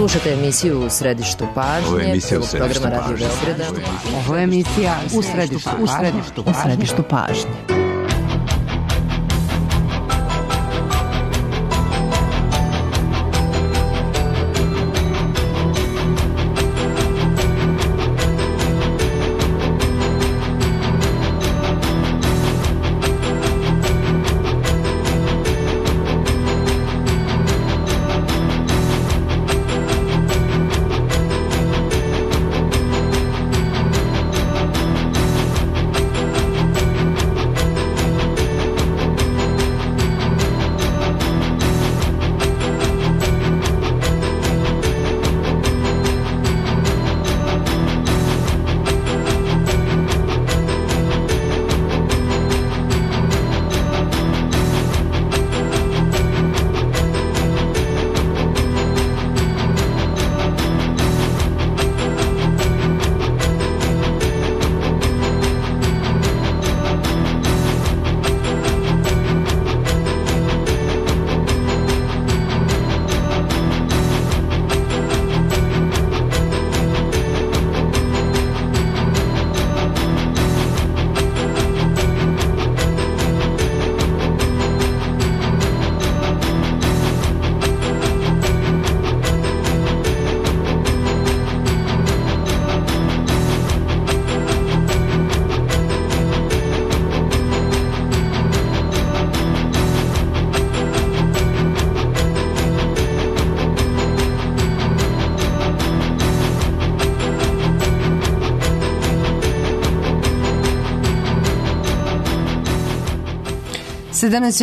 Slušate emisiju U središtu pažnje, programa Radio Beograda. Ovo je emisija U središtu pažnje.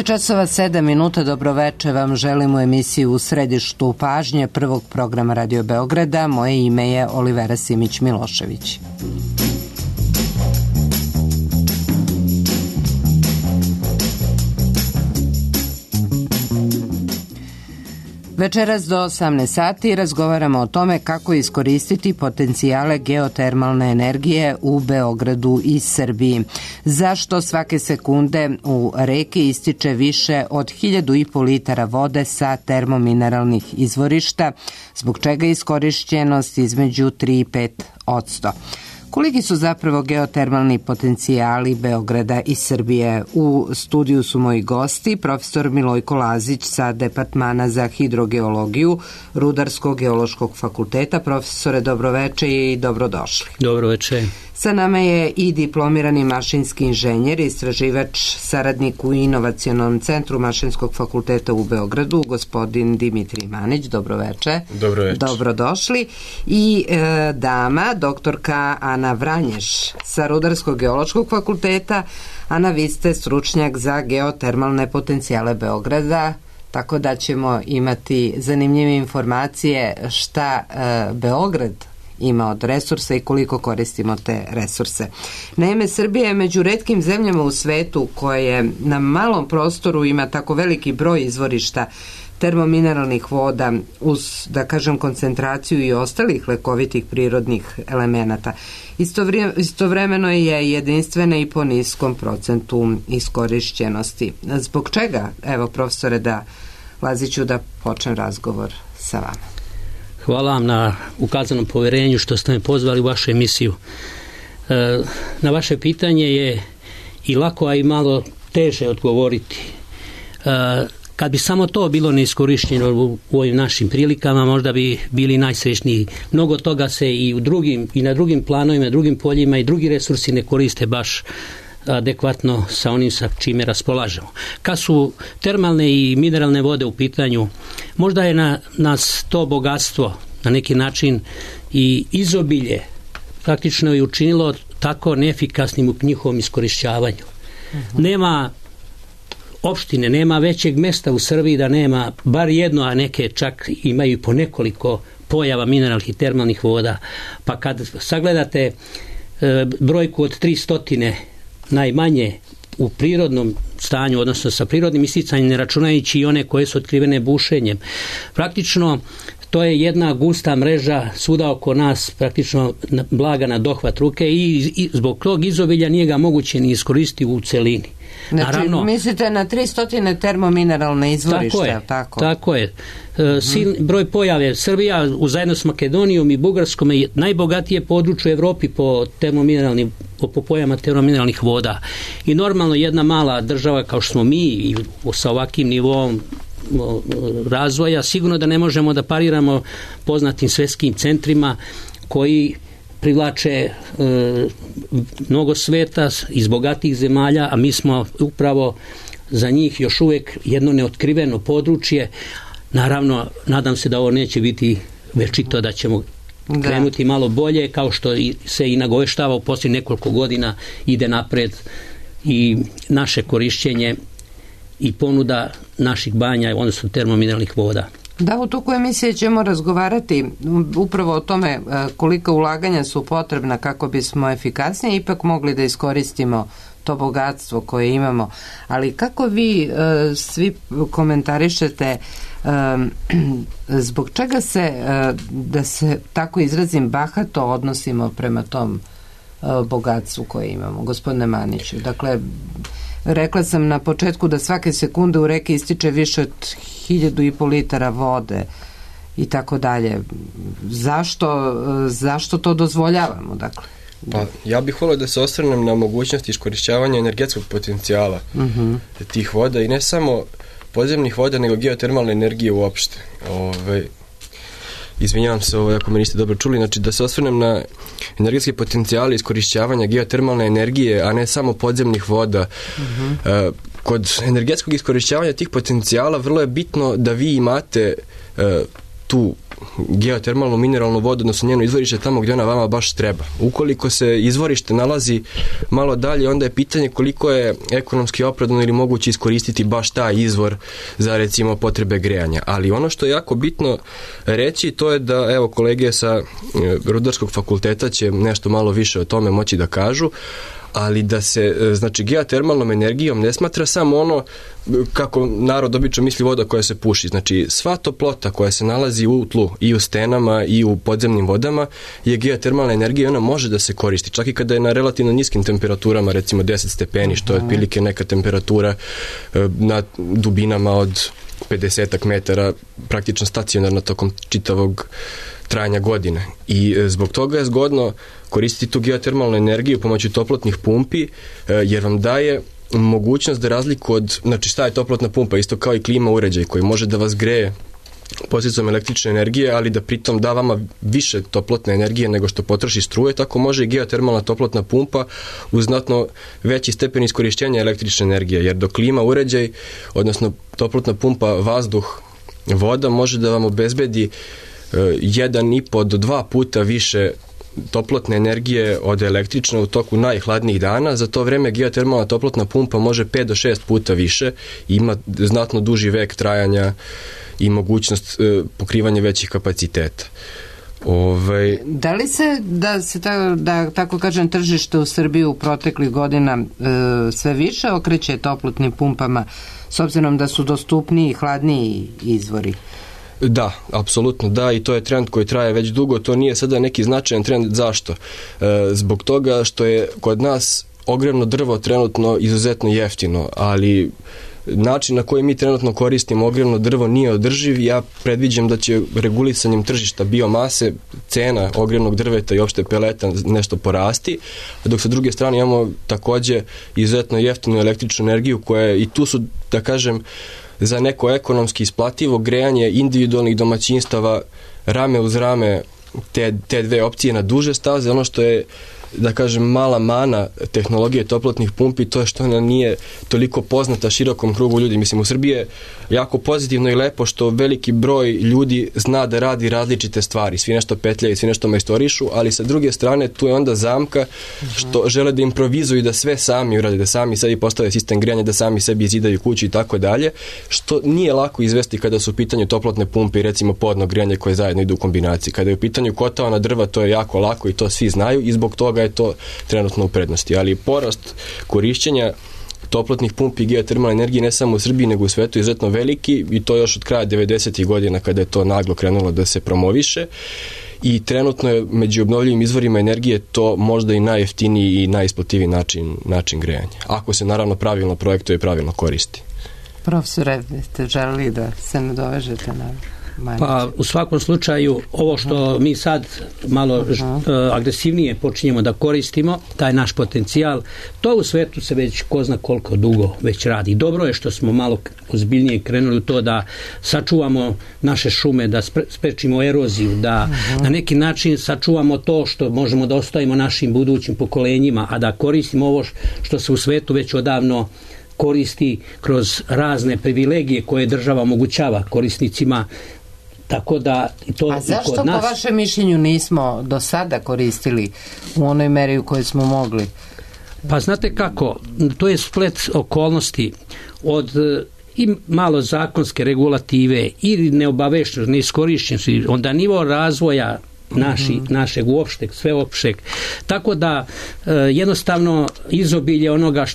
časova 7 minuta, dobroveče vam želim u emisiju U središtu pažnje prvog programa Radio Beograda. Moje ime je Olivera Simić-Milošević. Večeras do 18 sati razgovaramo o tome kako iskoristiti potencijale geotermalne energije u Beogradu i Srbiji. Zašto svake sekunde u reki ističe više od 1.500 litara vode sa termomineralnih izvorišta, zbog čega je iskorišćenost između 3 i 5%. Koliki su zapravo geotermalni potencijali Beograda i Srbije? U studiju su moji gosti, profesor Milojko Lazić sa Departmana za hidrogeologiju Rudarsko-geološkog fakulteta. Profesore, dobroveče i dobrodošli. Dobroveče. Sa nama je i diplomirani mašinski inženjer, istraživač, saradnik u Inovacionom centru Mašinskog fakulteta u Beogradu, gospodin Dimitrij Manić. Dobroveče. Dobroveče. Dobrodošli. I dama, doktorka Ana Vranješ sa Rudarsko-geološkog fakulteta. Ana, vi ste stručnjak za geotermalne potencijale Beograda, tako da ćemo imati zanimljive informacije šta Beograd ima od resursa i koliko koristimo te resurse. Naime, Srbija je među retkim zemljama u svetu koje na malom prostoru ima tako veliki broj izvorišta termomineralnih voda uz, da kažem, koncentraciju i ostalih lekovitih prirodnih elemenata. Istovremeno je jedinstvena i po niskom procentu iskorišćenosti. Zbog čega, evo profesore, da Laziću, da počnem razgovor sa vama. Hvala vam na ukazanom poverenju što ste me pozvali u vašu emisiju. Na vaše pitanje je i lako, a i malo teže odgovoriti. Kad bi samo to bilo neiskorišteno u ovim našim prilikama, možda bi bili najsrećniji. Mnogo toga se i na drugim planovima, drugim poljima i drugi resursi ne koriste baš adekvatno sa onim sa čime raspolažemo. Kad su termalne i mineralne vode u pitanju, možda je na nas to bogatstvo na neki način i izobilje praktično je učinilo tako neefikasnim u njihovom iskorišćavanju. Nema opštine, nema većeg mesta u Srbiji da nema bar jedno, a neke čak imaju po nekoliko pojava mineralnih i termalnih voda. Pa kad sagledate brojku od 300 najmanje u prirodnom stanju, odnosno sa prirodnim isticanjem, ne računajući i one koje su otkrivene bušenjem, praktično to je jedna gusta mreža svuda oko nas, praktično blaga na dohvat ruke i zbog tog izobilja nije ga moguće ni iskoristiti u celini. Znači, naravno, mislite na 300 termomineralne izvorišta, tako? Tako je. Broj pojave. Srbija zajedno s Makedonijom i Bugarskom je najbogatije područje u Evropi po pojavama termomineralnih voda. I normalno jedna mala država kao što smo mi i sa ovakvim nivom razvoja, sigurno da ne možemo da pariramo poznatim svetskim centrima koji privlače mnogo sveta iz bogatih zemalja, a mi smo upravo za njih još uvijek jedno neotkriveno područje. Naravno, nadam se da ovo neće biti večito, da ćemo krenuti malo bolje, kao što se i nagoveštava u posljednjih nekoliko godina ide napred i naše korišćenje i ponuda naših banja, odnosno termomineralnih voda. Da, u toku emisije ćemo razgovarati upravo o tome koliko ulaganja su potrebna kako bismo efikasnije ipak mogli da iskoristimo to bogatstvo koje imamo. Ali kako vi svi komentarišete zbog čega se, da se tako izrazim, bahato odnosimo prema tom bogatstvu koje imamo, gospodine Maniću? Dakle, rekla sam na početku da svake sekunde u reki ističe više od 1.500 litara vode i tako dalje. Zašto to dozvoljavamo, dakle? Pa, ja bih volio da se osvrnem na mogućnost iskorišćavanja energetskog potencijala tih voda i ne samo podzemnih voda, nego geotermalne energije uopšte. Izvinjavam se ako me niste dobro čuli, znači da se osvrnem na energetske potencijale iskorišćavanja geotermalne energije, a ne samo podzemnih voda. Kod energetskog iskorišćavanja tih potencijala vrlo je bitno da vi imate tu geotermalnu mineralnu vodu, odnosno njeno izvorište tamo gdje ona vama baš treba. Ukoliko se izvorište nalazi malo dalje, onda je pitanje koliko je ekonomski opravdano ili moguće iskoristiti baš taj izvor za, recimo, potrebe grejanja. Ali ono što je jako bitno reći, to je da, evo, kolege sa Rudarskog fakulteta će nešto malo više o tome moći da kažu, ali da se, znači, geotermalnom energijom ne smatra samo ono kako narod obično misli voda koja se puši. Znači, sva toplota koja se nalazi u tlu i u stenama i u podzemnim vodama je geotermalna energija i ona može da se koristi. Čak i kada je na relativno niskim temperaturama, recimo 10 stepeni, što je otprilike neka temperatura na dubinama od 50 metara, praktično stacionarno tokom čitavog trajanja godine. I zbog toga je zgodno koristiti tu geotermalnu energiju pomoću toplotnih pumpi, jer vam daje mogućnost da razliku od, znači šta je toplotna pumpa, isto kao i klima uređaj koji može da vas greje posljedicom električne energije, ali da pritom da vama više toplotne energije nego što potroši struje, tako može i geotermalna toplotna pumpa uz znatno veći stepen iskorištenja električne energije, jer dok klima uređaj, odnosno toplotna pumpa vazduh, voda, može da vam obezbedi 1,5 do 2 puta više toplotne energije od električne u toku najhladnijih dana. Za to vreme geotermalna toplotna pumpa može 5 do 6 puta više i ima znatno duži vek trajanja i mogućnost pokrivanja većih kapaciteta. Da li se, da tako kažem, tržište u Srbiji u proteklih godina sve više okreće toplotnim pumpama s obzirom da su dostupniji i hladniji izvori? Da, apsolutno da, i to je trend koji traje već dugo, to nije sada neki značajan trend. Zašto? Zbog toga što je kod nas ogrevno drvo trenutno izuzetno jeftino, ali način na koji mi trenutno koristimo ogrevno drvo nije održiv. Ja predviđam da će regulisanjem tržišta biomase cena ogrevnog drveta i opšte peleta nešto porasti, dok sa druge strane imamo takođe izuzetno jeftinu električnu energiju koja je, i tu su, da kažem, za neko ekonomski isplativo grejanje individualnih domaćinstava rame uz rame te dve opcije na duže staze. Ono što je, da kažem, mala mana tehnologije toplotnih pumpi, to je što ona nije toliko poznata širokom krugu ljudi. Mislim, u Srbiji je jako pozitivno i lepo što veliki broj ljudi zna da radi različite stvari, svi nešto petljaju, svi nešto majstorišu, ali sa druge strane tu je onda zamka što žele da improvizuju i da sve sami urade, da sami sebi postave sistem grejanja, da sami sebi izidaju kuću i tako dalje, što nije lako izvesti kada su u pitanju toplotne pumpe i recimo podno grejanje koje zajedno idu u kombinaciji. Kada je u pitanju kotao drva, to je jako lako i to svi znaju i zbog toga je to trenutno u prednosti. Ali porast korišćenja toplotnih pumpi i geotermalne energije ne samo u Srbiji nego u svetu izuzetno veliki i to još od kraja 90. godina kada je to naglo krenulo da se promoviše i trenutno je među obnovljivim izvorima energije to možda i najjeftiniji i najisplativiji način grejanja. Ako se naravno pravilno projektuje i pravilno koristi. Profesore, ste želeli da se nadovežete na Manić? Pa u svakom slučaju ovo što mi sad malo agresivnije počinjemo da koristimo, taj naš potencijal, to u svetu se već ko zna koliko dugo već radi. Dobro je što smo malo ozbiljnije krenuli u to da sačuvamo naše šume, da sprečimo eroziju, da na neki način sačuvamo to što možemo da ostavimo našim budućim pokolenjima, a da koristimo ovo što se u svetu već odavno koristi kroz razne privilegije koje država omogućava korisnicima. Tako da to a zašto po vašem mišljenju nismo do sada koristili u onoj meri u kojoj smo mogli? Pa znate kako, to je splet okolnosti od i malo zakonske regulative ili neobaveštenosti, neiskorišćenosti, onda nivo razvoja našeg uopšteg, sveopšteg. Tako da jednostavno izobilje onoga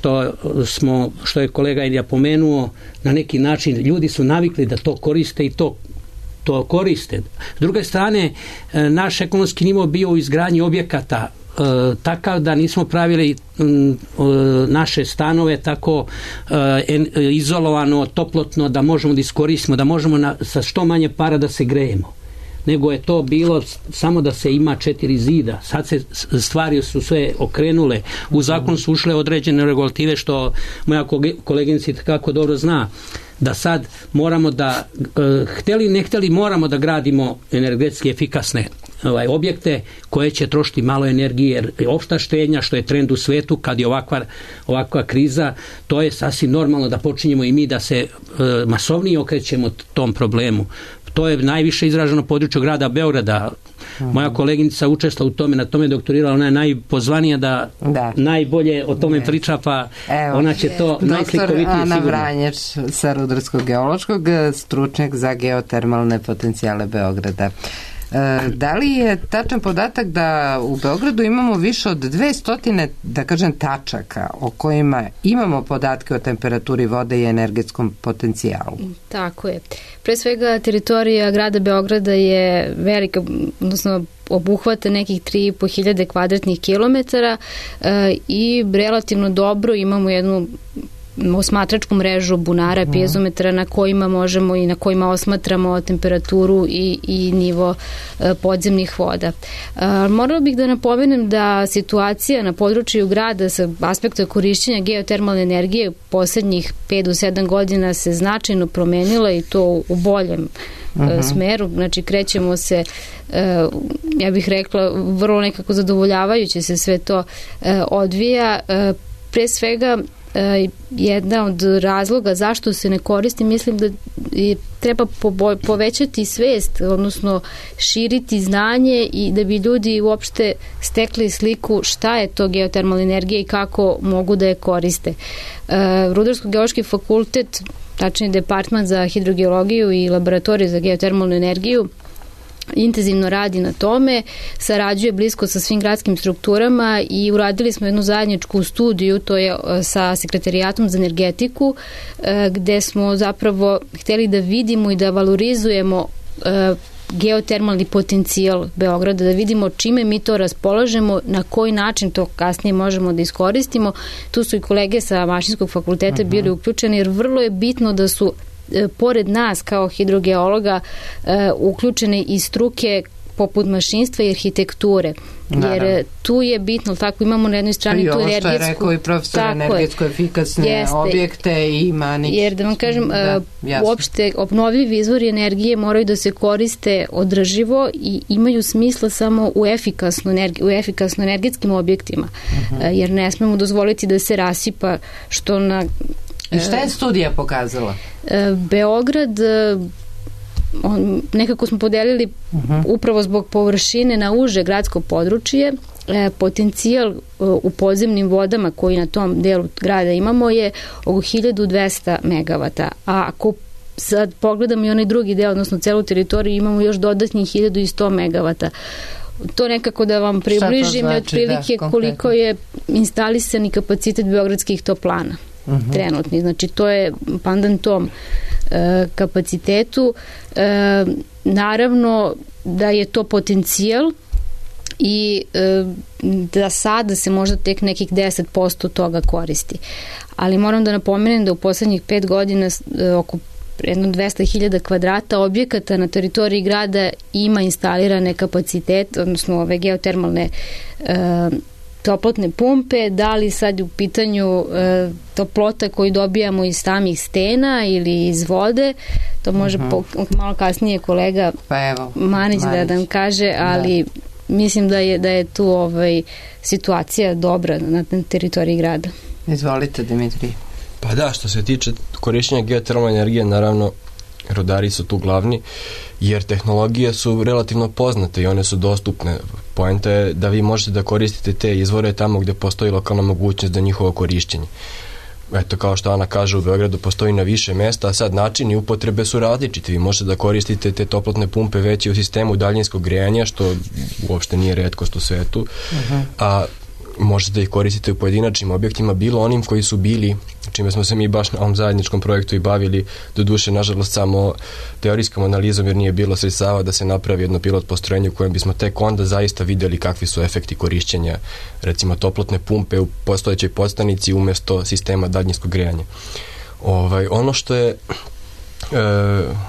što je kolega Ilija pomenuo, na neki način ljudi su navikli da to koriste i to koriste. S druge strane, naš ekonomski nivo bio u izgradnji objekata takav da nismo pravili naše stanove tako izolovano, toplotno da možemo da iskoristimo, da možemo sa što manje para da se grejemo. Nego je to bilo samo da se ima 4 zida. Sad se stvari su sve okrenule. U zakon su ušle određene regulative što moja koleginica kako dobro zna. Da sad moramo da, hteli ne hteli, moramo da gradimo energetski efikasne objekte koje će trošiti malo energije, jer opšta štednja, što je trend u svetu, kad je ovakva kriza, to je sasvim normalno da počinjemo i mi da se masovnije okrećemo tom problemu. To je najviše izraženo područje grada Beograda. Moja koleginica učestvala u tome, na tome doktorirala, ona je najpozvanija da najbolje o tome priča, pa ona će to najslikovitije sigurno. Doktor Ana Vranješ sa Rudarsko-geološkog, stručnjak za geotermalne potencijale Beograda. Da li je tačan podatak da u Beogradu imamo više od 200, da kažem, tačaka o kojima imamo podatke o temperaturi vode i energetskom potencijalu? Tako je. Pre svega teritorija grada Beograda je velika, odnosno obuhvata nekih 3.500 kvadratnih kilometara i relativno dobro imamo jednu osmatračku mrežu bunara, piezometara na kojima možemo i na kojima osmatramo temperaturu i nivo podzemnih voda. Morala bih da napomenem da situacija na području grada sa aspekta korišćenja geotermalne energije u poslednjih 5 do 7 godina se značajno promenila i to u boljem smeru. Znači krećemo se, ja bih rekla, vrlo nekako zadovoljavajuće se sve to odvija. Pre svega jedna od razloga zašto se ne koristi, mislim da treba povećati svest, odnosno širiti znanje i da bi ljudi uopšte stekli sliku šta je to geotermalna energija i kako mogu da je koriste. Rudarsko-geološki fakultet, tačnije departman za hidrogeologiju i laboratoriju za geotermalnu energiju, intenzivno radi na tome, sarađuje blisko sa svim gradskim strukturama i uradili smo jednu zajedničku studiju, to je sa Sekretarijatom za energetiku, gde smo zapravo hteli da vidimo i da valorizujemo geotermalni potencijal Beograda, da vidimo čime mi to raspolažemo, na koji način to kasnije možemo da iskoristimo. Tu su i kolege sa Mašinskog fakulteta bili uključeni, jer vrlo je bitno da su pored nas kao hidrogeologa uključene i struke poput mašinstva i arhitekture. Jer tu je bitno, tako imamo na jednoj strani tu energetsku... I ovo što je rekao i profesor, energetsko efikasne objekte i Manić. Jer da vam kažem, uopšte obnovljivi izvori energije moraju da se koriste održivo i imaju smisla samo u efikasno energetskim objektima. Jer ne smemo dozvoliti da se rasipa, što na... I šta je studija pokazala? Beograd, nekako smo podelili upravo zbog površine na uže gradsko područje, potencijal u podzemnim vodama koji na tom delu grada imamo je oko 1200 megavata, a ako sad pogledamo i onaj drugi deo, odnosno celu teritoriju, imamo još dodatnih 1100 megavata. To nekako da vam približim, znači, otprilike koliko je instalisani kapacitet beogradskih toplana. trenutni. Znači to je pandan tom kapacitetu. Naravno da je to potencijal i da sada se možda tek nekih 10% toga koristi. Ali moram da napomenem da u poslednjih 5 godina oko jedno 200.000 kvadrata objekata na teritoriji grada ima instalirane kapacitete, odnosno ove geotermalne toplotne pumpe, da li sad u pitanju toplota koju dobijamo iz samih stena ili iz vode, to može malo kasnije kolega Manić da nam kaže, ali mislim da je tu situacija dobra na teritoriji grada. Izvolite, Dimitrij. Pa da, što se tiče korišćenja geotermalne energije, naravno rudari su tu glavni, jer tehnologije su relativno poznate i one su dostupne. Poenta je da vi možete da koristite te izvore tamo gde postoji lokalna mogućnost za njihovo korišćenje. Eto, kao što Ana kaže, u Beogradu postoji na više mesta, a sad načini upotrebe su različiti. Vi možete da koristite te toplotne pumpe već i u sistemu daljinskog grejanja, što uopšte nije retkost u svetu, a možete da ih koristite u pojedinačnim objektima, bilo onim koji su bili, čime smo se mi baš na ovom zajedničkom projektu i bavili, doduše, nažalost, samo teorijskom analizom, jer nije bilo sredstava da se napravi jedno pilot postrojenje u kojem bismo tek onda zaista videli kakvi su efekti korišćenja, recimo, toplotne pumpe u postojećoj podstanici umesto sistema daljinskog grejanja. Ono što je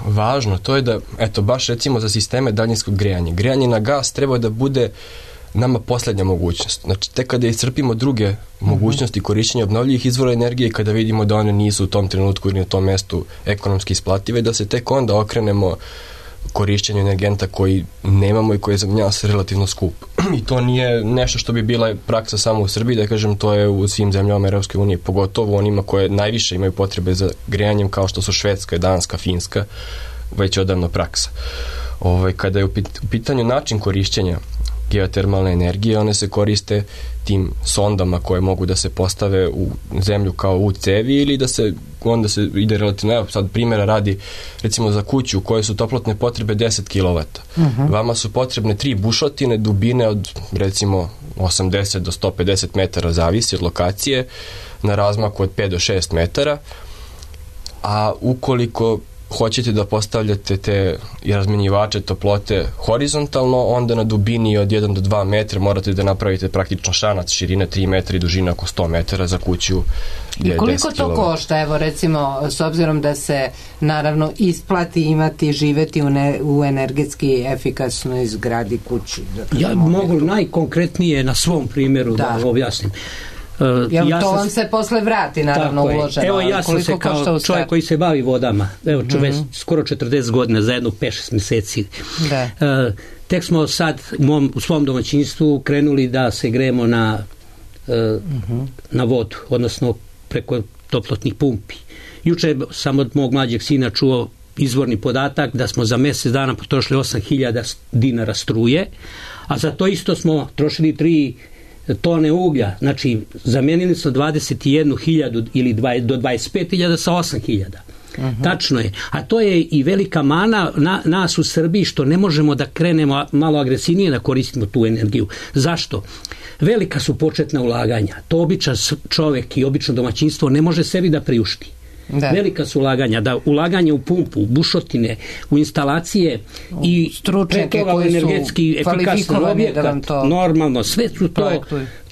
važno, to je da, eto, baš recimo za sisteme daljinskog grejanja, grejanje na gas treba da bude nama poslednja mogućnost. Znači, tek kada iscrpimo druge mogućnosti korišćenja obnovljivih izvora energije, kada vidimo da one nisu u tom trenutku ili na tom mestu ekonomski isplative, da se tek onda okrenemo korišćenju energenta koji nemamo i koji je za nas relativno skup. I to nije nešto što bi bila praksa samo u Srbiji, da kažem, to je u svim zemljama Evropske unije, pogotovo onima koje najviše imaju potrebe za grejanjem, kao što su Švedska, Danska, Finska, već odavno praksa. Kada je u pitanju način korišćenja geotermalne energije, one se koriste tim sondama koje mogu da se postave u zemlju kao u cevi ili da se onda se ide relativno, evo sad primjera radi, recimo za kuću koje su toplotne potrebe 10 kW. Vama su potrebne 3 bušotine dubine od recimo 80 do 150 metara, zavisi od lokacije, na razmaku od 5 do 6 metara, a ukoliko hoćete da postavljate te razmenjivače toplote horizontalno, onda na dubini od 1 do 2 metra morate da napravite praktično šanac širine 3 metra i dužina oko 100 metara za kuću gdje je 10 kW. I koliko to košta, evo recimo, s obzirom da se naravno isplati živeti u energetski efikasnoj zgradi kući? Ja mogu najkonkretnije na svom primjeru da objasnim. To vam se posle vrati, naravno, uloženo. Evo, ja sam se kao čovjek koji se bavi vodama, evo skoro 40 godina, za jedno 5-6 meseci. Tek smo sad u svom domaćinstvu krenuli da se grejemo na vodu, odnosno preko toplotnih pumpi. Juče sam od mog mlađeg sina čuo izvorni podatak da smo za mjesec dana potrošili 8.000 dinara struje, a za to isto smo trošili 3 tone uglja, znači zamenili smo 21.000 ili do 25.000 sa 8.000. Tačno je, a to je i velika mana nas u Srbiji što ne možemo da krenemo malo agresivnije da koristimo tu energiju. Zašto? Velika su početna ulaganja, to običan čovjek i obično domaćinstvo ne može sebi da priušti. Velika su ulaganja, da ulaganje u pumpu, u bušotine, u instalacije i pre toga u energetski efikasan objekat, normalno, sve su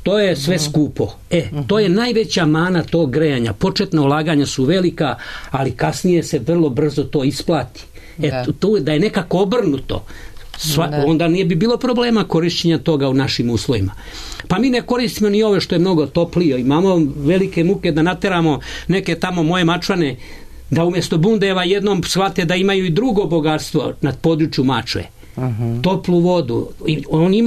to je sve skupo. To je najveća mana tog grejanja. Početna ulaganja su velika, ali kasnije se vrlo brzo to isplati. Da je nekako obrnuto, onda nije bi bilo problema korišćenja toga u našim uslovima. Pa mi ne koristimo ni ove što je mnogo toplije. Imamo velike muke da nateramo neke tamo moje Mačvane da umjesto bundeva jednom shvate da imaju i drugo bogatstvo na području Mačve. Toplu vodu. Oni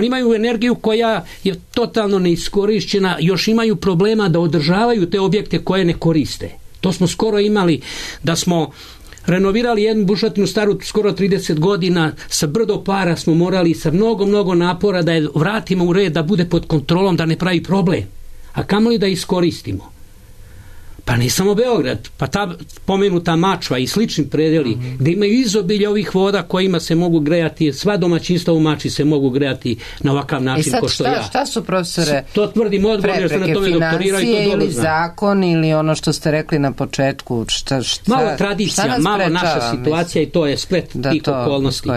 imaju energiju koja je totalno neiskorišćena, još imaju problema da održavaju te objekte koje ne koriste. To smo skoro imali da smo renovirali jednu bušotinu staru skoro 30 godina, sa brdo para smo morali sa mnogo napora da je vratimo u red, da bude pod kontrolom, da ne pravi problem. A kamoli da iskoristimo. Pa ne samo Beograd, pa ta pomenuta Mačva i slični predeli, gde imaju izobilje ovih voda kojima se mogu grejati, sva domaćinstva u Mačvi se mogu grejati na ovakav način ko što ja. Šta su, profesore, to tvrdim odgovor, jer se na tome doktoriraju i to dobro ili zakon ili ono što ste rekli na početku? Malo tradicija, malo naša situacija i to je splet tih okolnosti.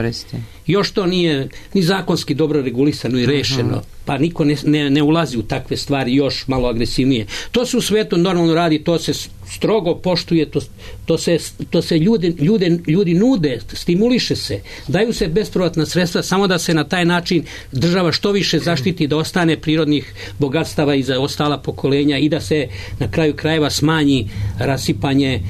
Još to nije ni zakonski dobro regulisano i rešeno, pa niko ne ulazi u takve stvari još malo agresivnije. To se u svetu normalno radi, to se strogo poštuje, to se ljudi nude, stimuliše se, daju se bespovratna sredstva samo da se na taj način država što više zaštiti, da ostane prirodnih bogatstava i za ostala pokolenja i da se na kraju krajeva smanji rasipanje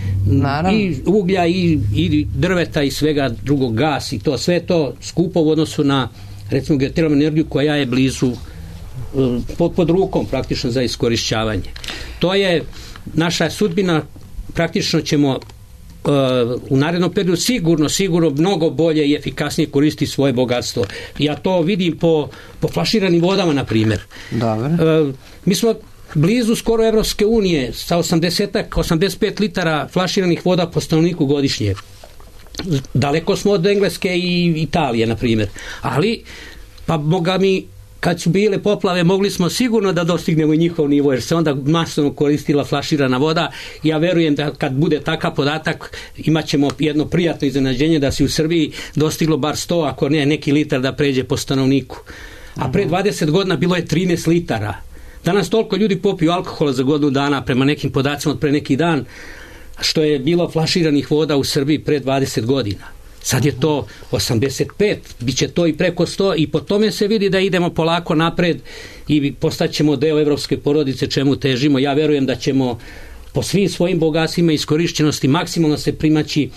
i uglja i drveta i svega drugog, gas i to sve to skupo u odnosu na recimo geotermalnu energiju koja je blizu pod rukom praktično za iskorišćavanje. To je naša sudbina, praktično ćemo u narednom periodu sigurno mnogo bolje i efikasnije koristiti svoje bogatstvo. Ja to vidim po flaširanim vodama, na primjer. Mi smo blizu skoro Evropske unije sa 85 litara flaširanih voda po stanovniku godišnje. Daleko smo od Engleske i Italije, na primjer. Ali, pa boga mi, kad su bile poplave, mogli smo sigurno da dostignemo i njihov nivo, jer se onda masovno koristila flaširana voda. Ja verujem da kad bude takav podatak, imat ćemo jedno prijatno iznenađenje da se u Srbiji dostiglo bar 100, ako ne neki litar da pređe po stanovniku. A pre 20 godina bilo je 13 litara. Danas toliko ljudi popiju alkohola za godinu dana, prema nekim podacima od pre neki dan, što je bilo flaširanih voda u Srbiji pre 20 godina. Sad je to 85, bit će to i preko 100 i po tome se vidi da idemo polako napred i postaćemo deo evropske porodice, čemu težimo. Ja verujem da ćemo po svim svojim bogatstvima i iskorišćenosti maksimalno se primaći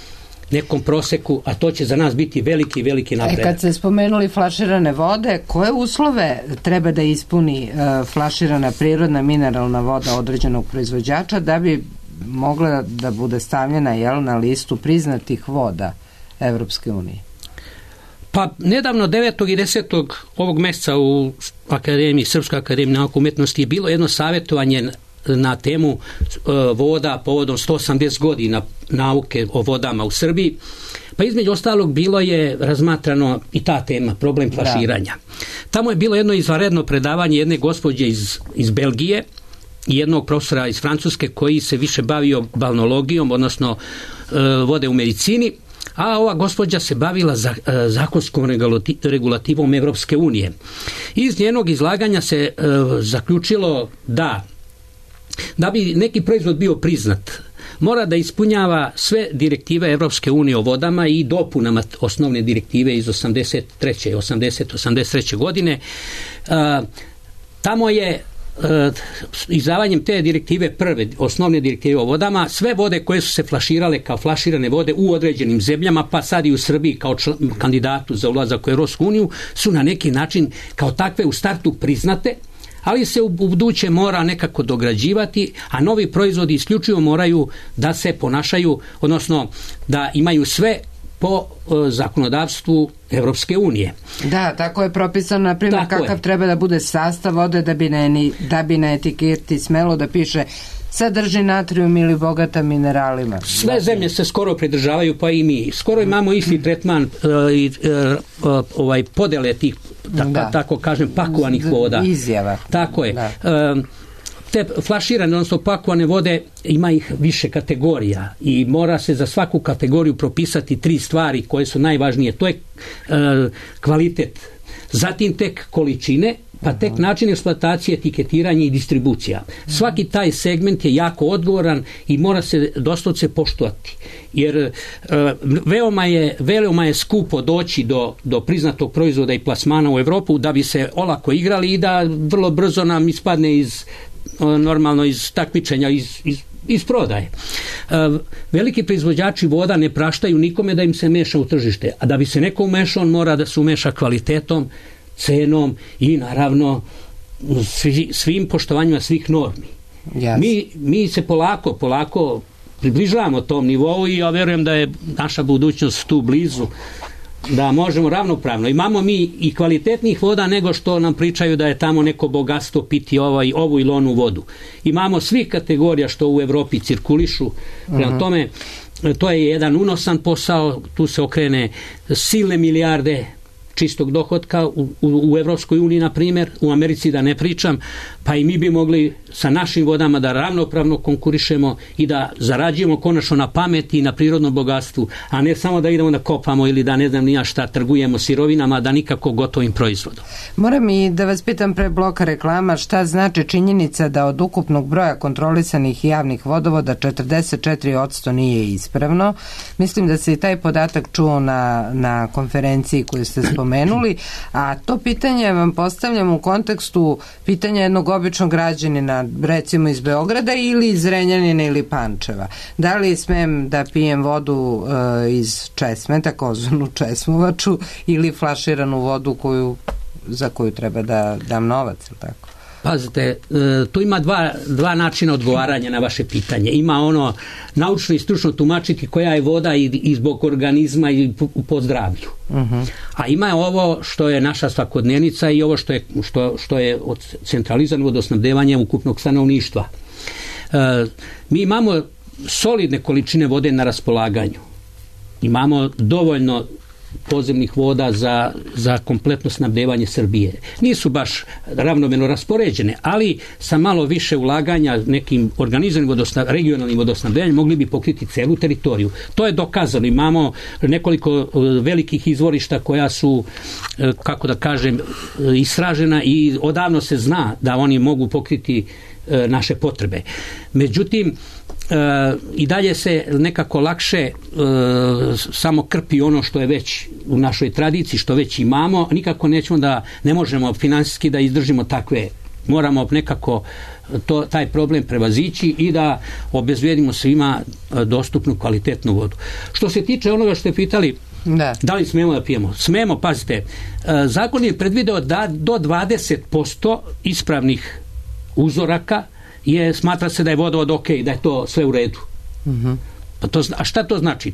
nekom proseku, a to će za nas biti veliki napredak. Kad ste spomenuli flaširane vode, koje uslove treba da ispuni flaširana prirodna mineralna voda određenog proizvođača da bi mogla da bude stavljena na listu priznatih voda Evropske unije? Pa nedavno 9. i 10. ovog meseca u Srpskoj akademiji nauke i umetnosti je bilo jedno savjetovanje na temu voda povodom 180 godina nauke o vodama u Srbiji. Pa između ostalog bilo je razmatrano i ta tema, problem flaširanja. Tamo je bilo jedno izvanredno predavanje jedne gospođe iz Belgije i jednog profesora iz Francuske koji se više bavio balnologijom, odnosno vode u medicini, a ova gospođa se bavila zakonskom regulativom Evropske unije. Iz njenog izlaganja se zaključilo da bi neki proizvod bio priznat, mora da ispunjava sve direktive Evropske unije o vodama i dopunama osnovne direktive iz 83. godine. Tamo je izdavanjem te direktive, prve osnovne direktive o vodama, sve vode koje su se flaširale kao flaširane vode u određenim zemljama, pa sad i u Srbiji kao kandidatu za ulazak u Evropsku uniju, su na neki način kao takve u startu priznate, ali se u buduće mora nekako dograđivati, a novi proizvodi isključivo moraju da se ponašaju, odnosno da imaju sve po zakonodavstvu Evropske unije. Da, tako je propisano, na primjer, kakav treba da bude sastav vode da bi na etiketi smelo da piše sadrži natrijum ili bogata mineralima. Sve zemlje se skoro pridržavaju, pa i mi. Skoro imamo isti tretman podele tih, tako kažem, pakovanih voda. Izjava. Tako je. Te flaširane, odnosno pakovane vode, ima ih više kategorija i mora se za svaku kategoriju propisati 3 stvari koje su najvažnije. To je kvalitet, zatim tek količine, pa tek način eksploatacije, etiketiranje i distribucija. Svaki taj segment je jako odgovoran i mora se doslovce poštovati. Jer veoma je skupo doći do priznatog proizvoda i plasmana u Evropu da bi se olako igrali i da vrlo brzo nam ispadne iz takmičenja, iz prodaje. Veliki proizvođači voda ne praštaju nikome da im se meša u tržište, a da bi se neko umešao, on mora da se umeša kvalitetom, cenom i naravno svim poštovanjima svih normi. Mi se polako približavamo tom nivou i ja verujem da je naša budućnost tu blizu. Da možemo ravnopravno. Imamo mi i kvalitetnih voda nego što nam pričaju da je tamo neko bogatstvo piti ovu ili onu vodu. Imamo svih kategorija što u Evropi cirkulišu. Prema tome, to je jedan unosan posao, tu se okrene silne milijarde čistog dohotka u Evropskoj uniji, na primjer, u Americi da ne pričam, pa i mi bi mogli sa našim vodama da ravnopravno konkurišemo i da zarađujemo konačno na pameti i na prirodnom bogatstvu, a ne samo da idemo da kopamo ili da ne znam ni ja šta, trgujemo sirovinama, da nikako gotovim proizvodom. Moram i da vas pitam pre bloka reklama, šta znači činjenica da od ukupnog broja kontrolisanih javnih vodovoda 44% nije ispravno? Mislim da se i taj podatak čuo na konferenciji koju ste spomenuli, a to pitanje vam postavljam u kontekstu pitanja jednog običnog građanina, recimo iz Beograda ili iz Zrenjanina ili Pančeva. Da li smem da pijem vodu iz česme, takozvanu česmovaču, ili flaširanu vodu za koju treba da dam novac, ili tako? Pazite, tu ima dva načina odgovaranja na vaše pitanje. Ima ono naučno i stručno tumačiti koja je voda i zbog organizma i po zdravlju. A ima ovo što je naša svakodnevnica i ovo što je centralizirano vodosnabdevanje ukupnog stanovništva. Mi imamo solidne količine vode na raspolaganju. Imamo dovoljno podzemnih voda za kompletno snabdevanje Srbije. Nisu baš ravnomerno raspoređene, ali sa malo više ulaganja nekim organizovanim regionalnim vodosnabdevanjem mogli bi pokriti celu teritoriju. To je dokazano. Imamo nekoliko velikih izvorišta koja su, kako da kažem, istražena i odavno se zna da oni mogu pokriti naše potrebe. Međutim, i dalje se nekako lakše samo krpi ono što je već u našoj tradiciji, što već imamo. Nikako ne možemo finansijski da izdržimo takve. Moramo nekako taj problem prevazići i da obezbedimo svima dostupnu kvalitetnu vodu. Što se tiče onoga što ste pitali, da li smemo da pijemo? Smemo, pazite. Zakon je predvideo da do 20% ispravnih uzoraka smatra se da je vodovod ok, da je to sve u redu. A šta to znači?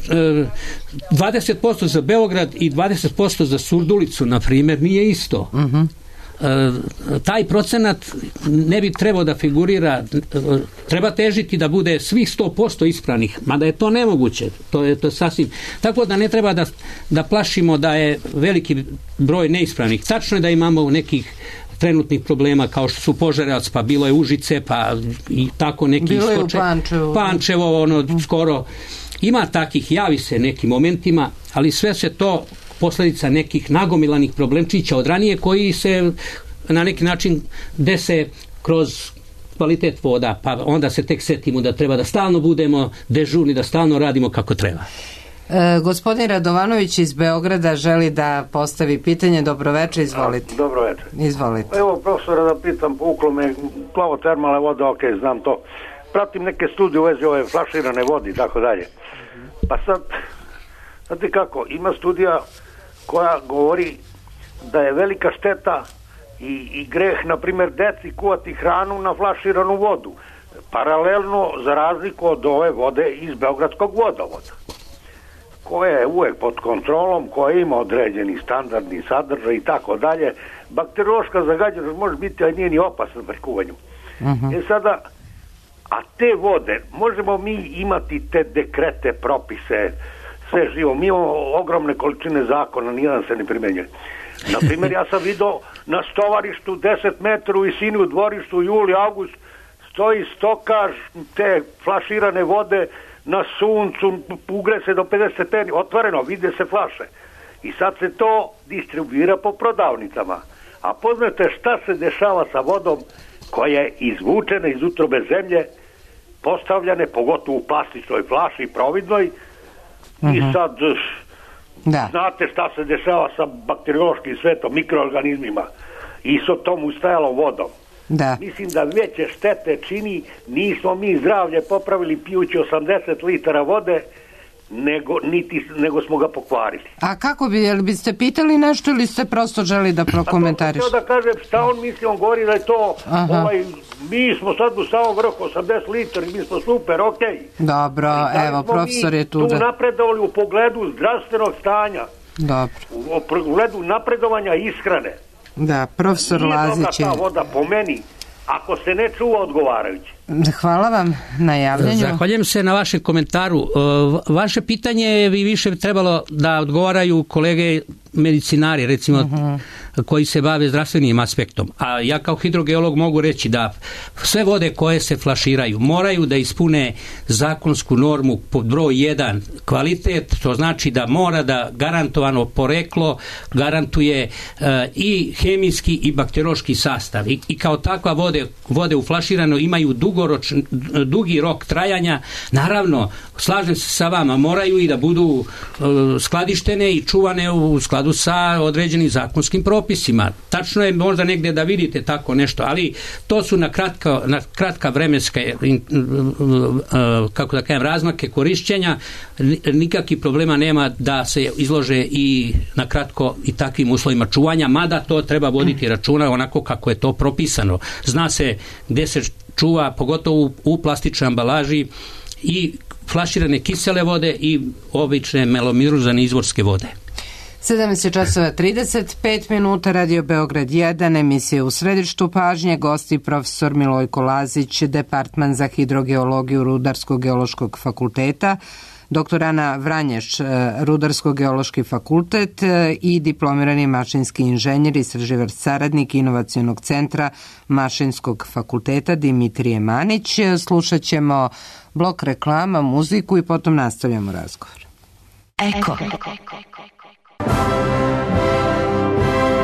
20% za Beograd i 20% za Surdulicu, na primjer, nije isto. Taj procenat ne bi trebao da figurira, treba težiti da bude svih 100% ispravnih, mada je to nemoguće, to je sasvim, tako da ne treba da plašimo da je veliki broj neispravnih. Tačno je da imamo nekih trenutnih problema kao što su Požarevac, pa bilo je Užice, pa i tako neki bilo je u Pančevo, skoro. Ima takih, javi se nekim momentima, ali sve se to posljedica nekih nagomilanih problemčića od ranije koji se na neki način dese kroz kvalitet voda, pa onda se tek setimo da treba da stalno budemo dežurni, da stalno radimo kako treba. Gospodin Radovanović iz Beograda želi da postavi pitanje. Dobroveče, izvolite. Dobroveče. Izvolite. Evo, profesora, da pitam, povuklo me plavotermalne vode, ok, znam to. Pratim neke studije u vezi ove flaširane vode i tako dalje. Pa sad, znate kako, ima studija koja govori da je velika šteta i greh, na primjer, deci kuvati hranu na flaširanu vodu. Paralelno, za razliku od ove vode iz Beogradskog vodovoda, koja je uvek pod kontrolom, koja ima određeni standardni sadržaj i tako dalje. Bakteriološka zagađenost može biti, a nije ni opasna pri kuvanju. Sada, a te vode, možemo mi imati te dekrete, propise, sve živo. Mi imamo ogromne količine zakona, nijedan se ne primenjuje. Naprimjer, ja sam vidio na stovarištu 10 metara u visini u dvorištu, juli, august, stoji stokaž te flaširane vode na suncu, ugre se do 50 stepeni, otvoreno, vide se flaše. I sad se to distribuira po prodavnicama. A poznate šta se dešava sa vodom koja je izvučena iz utrobe zemlje, postavljane, pogotovo u plastičnoj flaši, providnoj, i sad znate šta se dešava sa bakteriološkim svetom, mikroorganizmima i sa tom ustajalom vodom. Mislim da veće štete čini, nismo mi zdravlje popravili pijući 80 litara vode, nego smo ga pokvarili. A kako bi, jel biste pitali nešto ili ste prosto želi da prokomentariš? Pa to da kažem šta on misli, on govori da je to mi smo sad u samom vrhu 80 litara i mi smo super, okej. Dobro, evo, profesor je tu. Tu napredovali u pogledu zdravstvenog stanja. Dobro. U pogledu napredovanja ishrane. Da, profesor Lazić je... Nije ta voda po meni, ako se ne čuva odgovarajuće. Hvala vam na javljanju. Zahvaljujem se na vašem komentaru. Vaše pitanje bi više trebalo da odgovaraju kolege medicinari, recimo, koji se bave zdravstvenim aspektom. A ja kao hidrogeolog mogu reći da sve vode koje se flaširaju moraju da ispune zakonsku normu pod broj 1 kvalitet, to znači da mora da garantovano poreklo garantuje i hemijski i bakteriološki sastav. I kao takva vode u flaširano imaju dugi rok trajanja. Naravno, slažem se sa vama, moraju i da budu skladištene i čuvane u skladu sa određenim zakonskim propisima. Tačno je možda negdje da vidite tako nešto, ali to su na kratka vremenska kako da kažem, razmake korišćenja. Nikakvih problema nema da se izlože i na kratko i takvim uslovima čuvanja, mada to treba voditi računa onako kako je to propisano. Zna se gdje se čuva, pogotovo u plastičnoj ambalaži, i flaširane kisele vode i obične melomiruzane izvorske vode. 17:35, Radio Beograd 1, emisija U središtu pažnje, gosti profesor Milojko Lazić, Departman za hidrogeologiju Rudarsko-geološkog fakulteta, dr. Ana Vranješ, Rudarsko-geološki fakultet i diplomirani mašinski inženjer, istraživač saradnik Inovacionog centra Mašinskog fakulteta Dimitrije Manić. Slušat ćemo blok reklama, muziku i potom nastavljamo razgovor. Eko.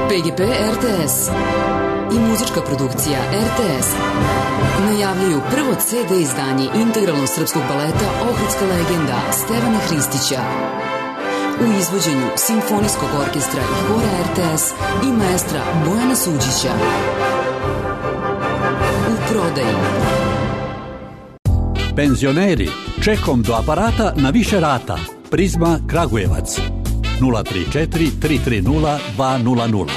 PGP RTS i muzička produkcija RTS najavljuju prvo CD izdanje integralnog srpskog baleta Ohridska legenda Stevana Hristića u izvođenju Simfonijskog orkestra i hora RTS i maestra Bojana Suđića. U prodaji. Penzioneri, čekom do aparata na više rata. Prizma Kragujevac 034 330 200.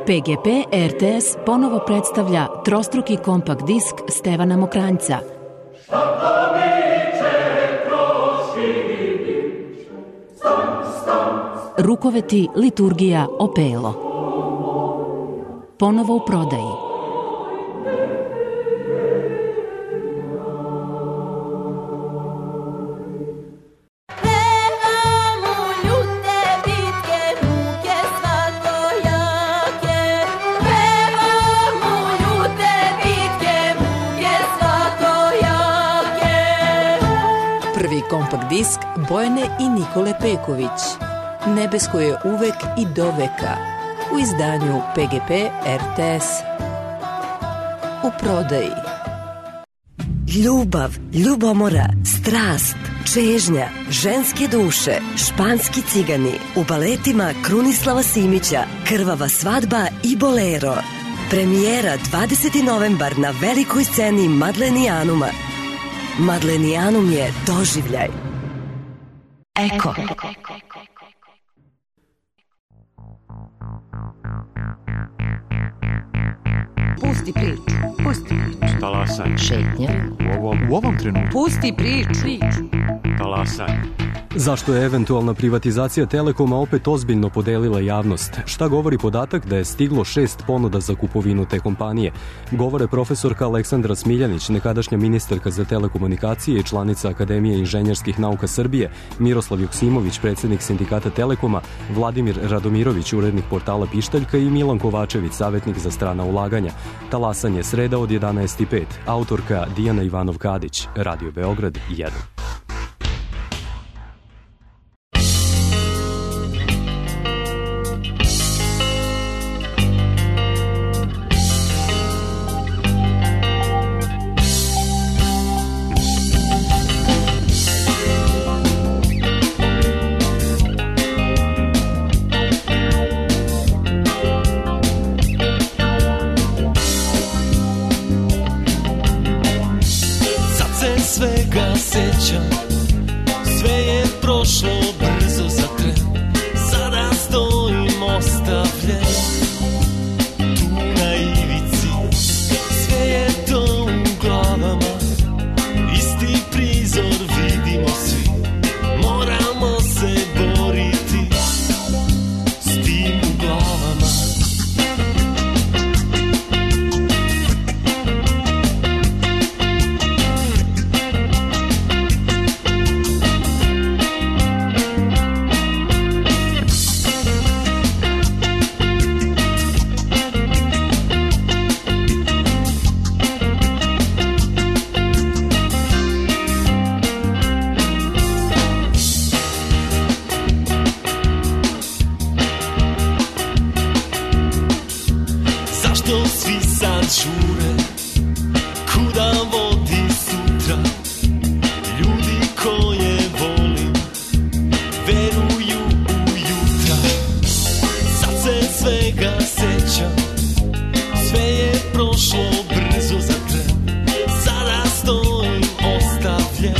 PGP RTS ponovo predstavlja trostruki kompakt disk Stevana Mokranjca. Rukoveti, liturgija, opelo. Ponovo u prodaji. Kompakt disk Bojane i Nikole Peković. Nebesko je uvek i do veka. U izdanju PGP RTS. U prodaji. Ljubav, ljubomora, strast, čežnja, ženske duše, španski cigani u baletima Krunislava Simića, Krvava svadba i Bolero. Premijera 20. novembar na velikoj sceni Madlenijanuma. Madlenijanum je doživljaj. Eko. Pusti priču. Talasaj. Šetnja. U ovom trenutku. Pusti priču. Talasaj. Zašto je eventualna privatizacija Telekoma opet ozbiljno podelila javnost? Šta govori podatak da je stiglo 6 ponuda za kupovinu te kompanije? Govore profesorka Aleksandra Smiljanić, nekadašnja ministarka za telekomunikacije i članica Akademije inženjerskih nauka Srbije, Miroslav Joksimović, predsjednik sindikata Telekoma, Vladimir Radomirović, urednik portala Pištaljka i Milan Kovačević, savjetnik za strana ulaganja. Talasanje sreda od 11:05. Autorka Dijana Ivanov-Kadić, Radio Beograd 1. Svega sećam, sve je prošlo brzo za tren. Sada stojim ostavljen tu na ivici. Sve je to Zašto svi sad žure, kuda vodi sutra? Ljudi koje volim veruju u jutra. Sad se svega sećam, sve je prošlo brzo za tren. Sada stojim ostavljen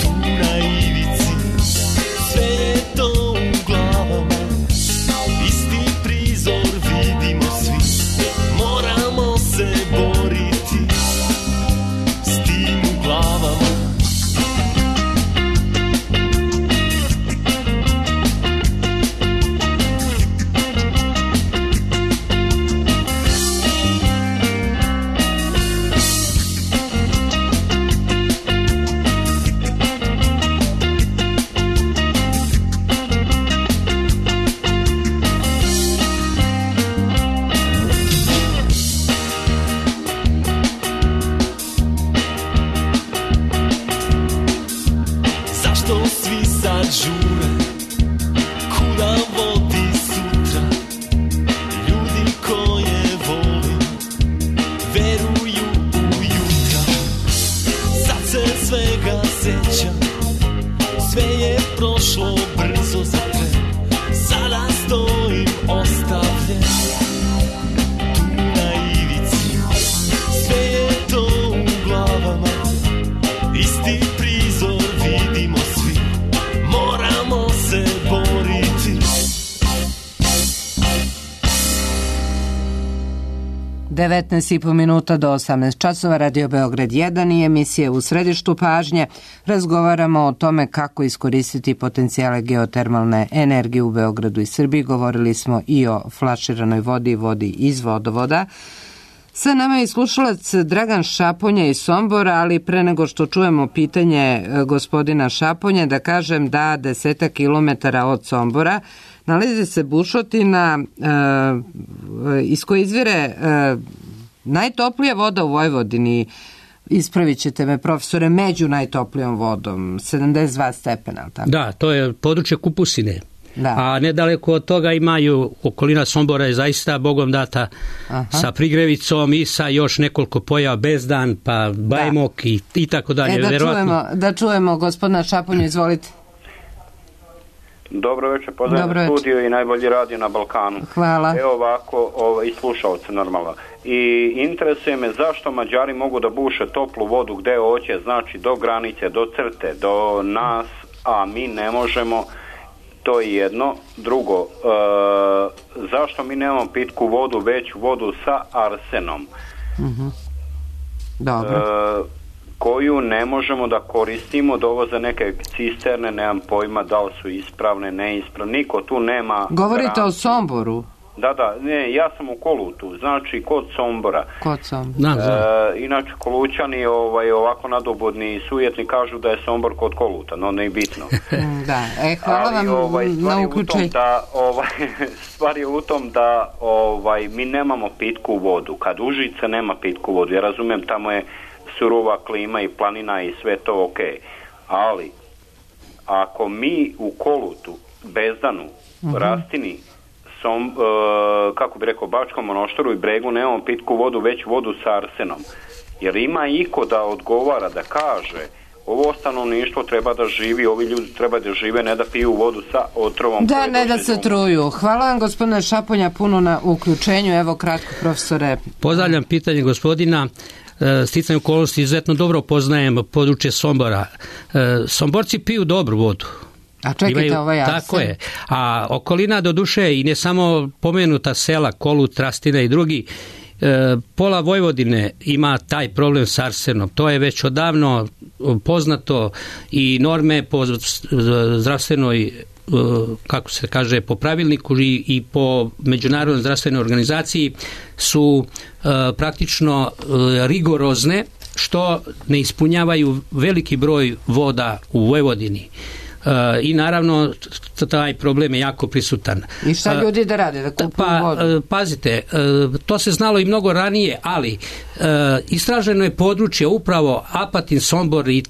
tu na ivici, sve je to u glavama, isti prizor vidimo svi. Moramo se boriti s tim u glavama. Zašto svi sad žure, kuda vodi sutra? Ljudi koje volim veruju u jutra. Sad se svega sećam, sve je prošlo brzo za tren. Sada stojim ostavljen tu na ivici, sve je to u glavama, isti prizor vidimo svi. Moramo se boriti. 19,5 minuta do 18 časova, Radio Beograd 1 i emisije U središtu pažnje. Razgovaramo o tome kako iskoristiti potencijale geotermalne energije u Beogradu i Srbiji. Govorili smo i o flaširanoj vodi i vodi iz vodovoda. Sa nama je slušalac Dragan Šaponja iz Sombora, ali pre nego što čujemo pitanje gospodina Šaponje, da kažem da 10 kilometara od Sombora nalazi se bušotina iz koje izvire najtoplija voda u Vojvodini. Ispravit ćete me, profesore, među najtoplijom vodom, 72 stepena. Tako? Da, to je područje Kupusine. Da. A nedaleko od toga imaju, okolina Sombora je zaista Bogom data. Aha. Sa Prigrevicom i sa još nekoliko pojava Bezdan, pa Bajmok i tako dalje. Da čujemo gospodina Šaponju, izvolite. Dobro večer, pozdravljam studio i najbolji radio na Balkanu. Hvala. Evo ovako, i slušalce normalno. I interesuje me zašto Mađari mogu da buše toplu vodu gde hoće, znači do granice, do crte, do nas, a mi ne možemo. To je jedno. Drugo, zašto mi nemamo pitku vodu, već vodu sa arsenom? Dobro. Koju ne možemo da koristimo, dovoze neke cisterne, nemam pojma da li su ispravne, neispravne, niko tu nema. Govorite o Somboru? Da, ne, ja sam u Kolutu, znači kod Sombora. Inače Kolućani ovako nadobudni i sujetni kažu da je Sombor kod Koluta, no ne je bitno. Da, hvala vam na uključenju. Stvar je u tom da mi nemamo pitku vodu, kad Užice nema pitku vodu, ja razumijem, tamo je surova klima i planina i sve to ok, ali ako mi u Kolutu, Bezdanu, Rastini, kako bi rekao, Bačkom Monoštoru i Bregu nemamo pitku vodu, već vodu sa arsenom, jer ima iko da odgovara, da kaže ovo stanovništvo treba da živi, ovi ljudi treba da žive, ne da piju vodu sa otrovom. Da, ne da se truju. Hvala vam gospodine Šaponja puno na uključenju. Evo kratko, profesore. Pozdravljam pitanje gospodina. Sticanje okolnosti izuzetno dobro poznajem područje Sombora. Somborci piju dobru vodu. A čekajte, ovo je arsen. Tako je. A okolina do duše i ne samo pomenuta sela, Kolut, Rastina i drugi, pola Vojvodine ima taj problem s arsenom. To je već odavno poznato i norme po zdravstvenoj, kako se kaže, po pravilniku i po Međunarodnoj zdravstvenoj organizaciji su praktično rigorozne, što ne ispunjavaju veliki broj voda u Vojvodini. I naravno taj problem je jako prisutan. I šta ljudi da rade, da kupuju vodu? Pazite, to se znalo i mnogo ranije, ali istraženo je područje upravo Apatin, Sombor i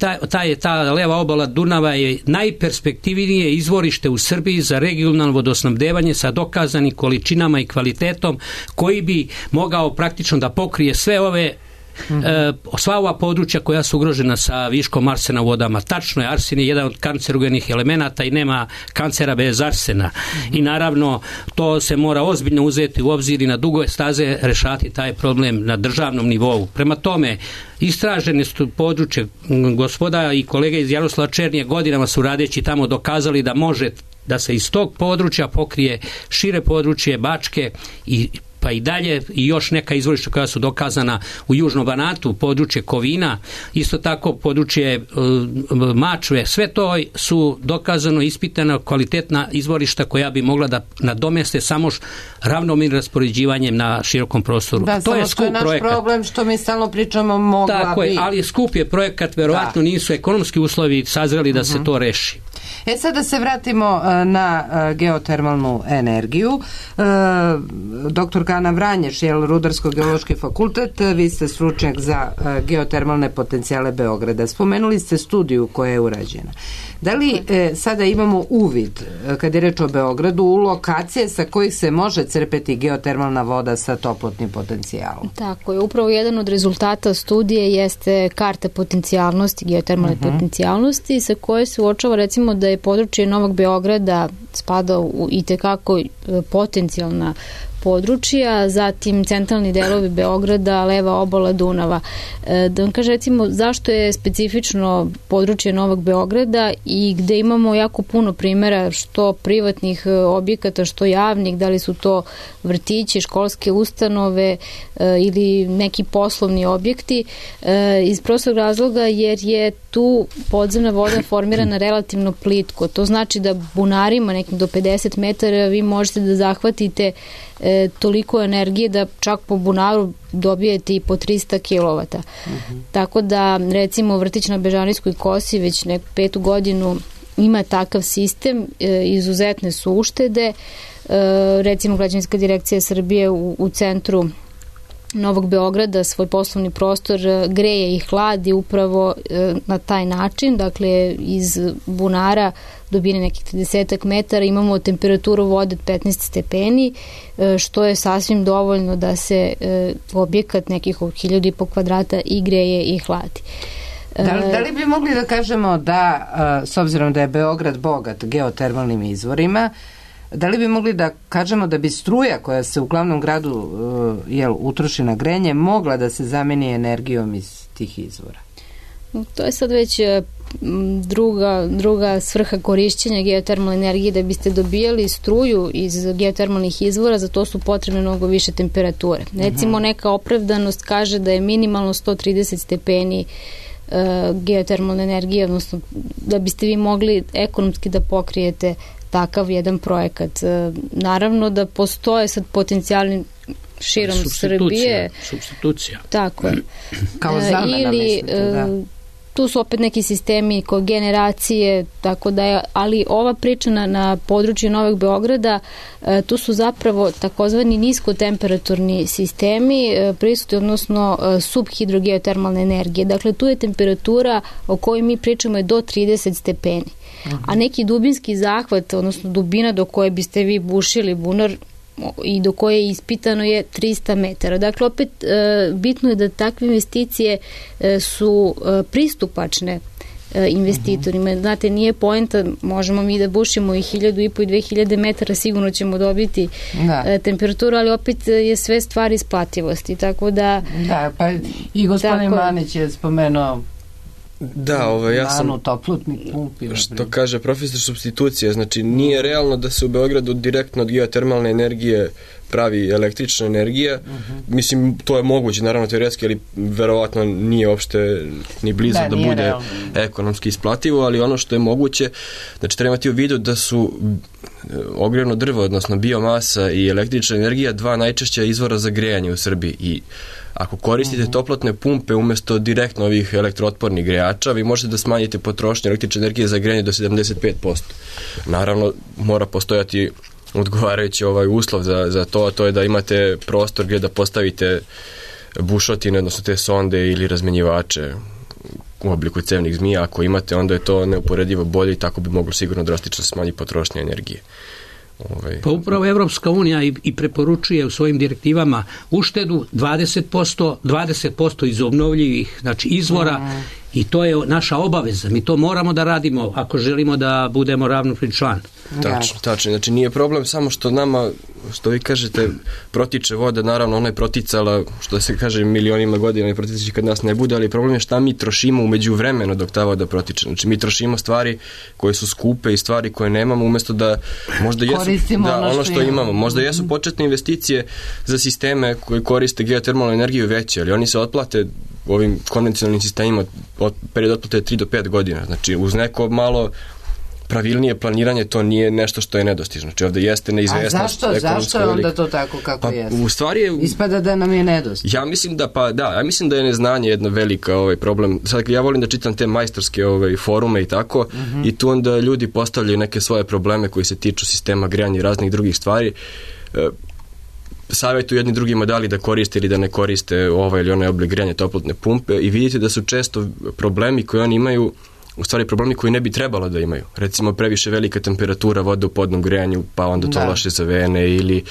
ta leva obala Dunava je najperspektivnije izvorište u Srbiji za regionalno vodosnabdevanje sa dokazanim količinama i kvalitetom koji bi mogao praktično da pokrije sve ove sva ova područja koja su ugrožena sa viškom arsena u vodama. Tačno je, arsen je jedan od kancerogenih elemenata i nema kancera bez arsena. I naravno to se mora ozbiljno uzeti u obzir i na dugo staze rešati taj problem na državnom nivou. Prema tome, istražene su područje, gospoda i kolege iz Jaroslava Černije godinama su radeći tamo dokazali da može da se iz tog područja pokrije šire područje Bačke pa i dalje i još neka izvorišta koja su dokazana u Južnom Banatu, područje Kovina, isto tako područje Mačve, sve to su dokazano, ispitana, kvalitetna izvorišta koja bi mogla da nadomeste samo ravnomernim raspoređivanjem na širokom prostoru. Da, to je skup projekat. To je naš problem što mi stalno pričamo mogla bi. Tako je, ali skup je projekat, verovatno nisu ekonomski uslovi sazreli da se to reši. Sad da se vratimo na geotermalnu energiju. Doktor Ana Vranješ, Rudarsko-geološki fakultet, vi ste stručnjak za geotermalne potencijale Beograda. Spomenuli ste studiju koja je urađena. Da li sada imamo uvid, kad je reč o Beogradu, u lokacije sa kojih se može crpeti geotermalna voda sa toplotnim potencijalom? Tako je. Upravo jedan od rezultata studije jeste karta potencijalnosti, geotermalne potencijalnosti, sa koje se uočava recimo da je područje Novog Beograda spada u itekako potencijalna područja, zatim centralni delovi Beograda, leva obala Dunava. Da vam kaže recimo zašto je specifično područje Novog Beograda i gde imamo jako puno primjera što privatnih objekata, što javnih, da li su to vrtići, školske ustanove ili neki poslovni objekti, iz prostog razloga jer je tu podzemna voda formirana relativno plitko. To znači da bunarima nekim do 50 metara vi možete da zahvatite toliko energije da čak po bunaru dobijete i po 300 kW. Tako da recimo vrtić na Bežanijskoj kosi već neku 5. godinu ima takav sistem, izuzetne su uštede. Recimo Građevinska direkcija Srbije u centru Novog Beograda svoj poslovni prostor greje i hladi upravo na taj način, dakle iz bunara dubine nekih 30 metara imamo temperaturu vode od 15 stepeni, što je sasvim dovoljno da se objekat nekih 1500 kvadrata i greje i hladi. Da li bi mogli da kažemo da, s obzirom da je Beograd bogat geotermalnim izvorima, da li bi mogli da kažemo da bi struja koja se u glavnom gradu utroši na grenje mogla da se zameni energijom iz tih izvora? To je sad već druga svrha korišćenja geotermalne energije. Da biste dobijali struju iz geotermalnih izvora, za to su potrebne mnogo više temperature. Recimo neka opravdanost kaže da je minimalno 130 stepeni geotermalne energije, odnosno da biste vi mogli ekonomski da pokrijete takav jedan projekat. Naravno da postoje sad potencijalni širom Srbije. Supstitucija. Tako je. Kao zamena, mislite, da. Tu su opet neki sistemi kogeneracije, tako da je, ali ova priča na području Novog Beograda, tu su zapravo takozvani niskotemperaturni sistemi prisutni, odnosno subhidrogeotermalne energije. Dakle, tu je temperatura o kojoj mi pričamo je do 30 stepeni. A neki dubinski zahvat, odnosno dubina do koje biste vi bušili bunar i do koje je ispitano je 300 metara. Dakle, opet bitno je da takve investicije su pristupačne investitorima. Znate, nije poenta, možemo mi da bušimo i 1500 i 2000 metara, sigurno ćemo dobiti temperaturu, ali opet je sve stvar isplativosti. Tako da... Da, pa i gospodin Manić je spomenuo ja sam što kaže profesor supstitucija, znači nije realno da se u Beogradu direktno od geotermalne energije pravi električna energija. Mislim, to je moguće, naravno teoretski, ali verovatno nije uopšte ni blizu da bude realno ekonomski isplativo, ali ono što je moguće, znači treba imati u vidu da su ogrjevno drvo, odnosno biomasa i električna energija, dva najčešća izvora za grejanje u Srbiji. I ako koristite toplotne pumpe umjesto direktno ovih elektrootpornih grejača, vi možete da smanjite potrošnju električne energije za grejanje do 75%. Naravno, mora postojati odgovarajući uslov za to, a to je da imate prostor gdje da postavite bušotine, odnosno te sonde ili razmenjivače u obliku cevnih zmija. Ako imate, onda je to neuporedivo bolje i tako bi moglo sigurno drastično smanjiti potrošnju energije. Pa upravo Evropska unija i preporučuje u svojim direktivama uštedu 20% iz obnovljivih, znači izvora, i to je naša obaveza. Mi to moramo da radimo ako želimo da budemo ravnopravni član. Tačno. Znači nije problem samo što nama, što vi kažete, protiče voda, naravno ona je proticala, što se kaže, milionima godina i protiče kad nas ne bude, ali problem je šta mi trošimo umeđu vremenu dok ta voda protiče. Znači mi trošimo stvari koje su skupe i stvari koje nemamo, umjesto da možda jesu ono što imamo. Možda jesu početne investicije za sisteme koji koriste geotermalnu energiju veće, ali oni se otplate ovim konvencionalnim sistemima period otplate je 3 do 5 godina. Znači uz neko malo pravilnije planiranje to nije nešto što je nedostižno. Znači ovdje jeste neizvesnost. A zašto je onda to tako kako jeste? U stvari je, ispada da nam je nedostižno. Ja mislim da je neznanje jedna velika problem. Sad ja volim da čitam te majstorske forume i tako, i tu onda ljudi postavljaju neke svoje probleme koji se tiču sistema grejanja i raznih drugih stvari. Savjetuju jedni drugima da li da koriste ili da ne koriste ovaj ili onaj oblik grejanja, toplotne pumpe, i vidite da su često problemi koje oni imaju u stvari problemi koji ne bi trebalo da imaju. Recimo previše velika temperatura vode u podnom grejanju, pa onda to loše za vene, ili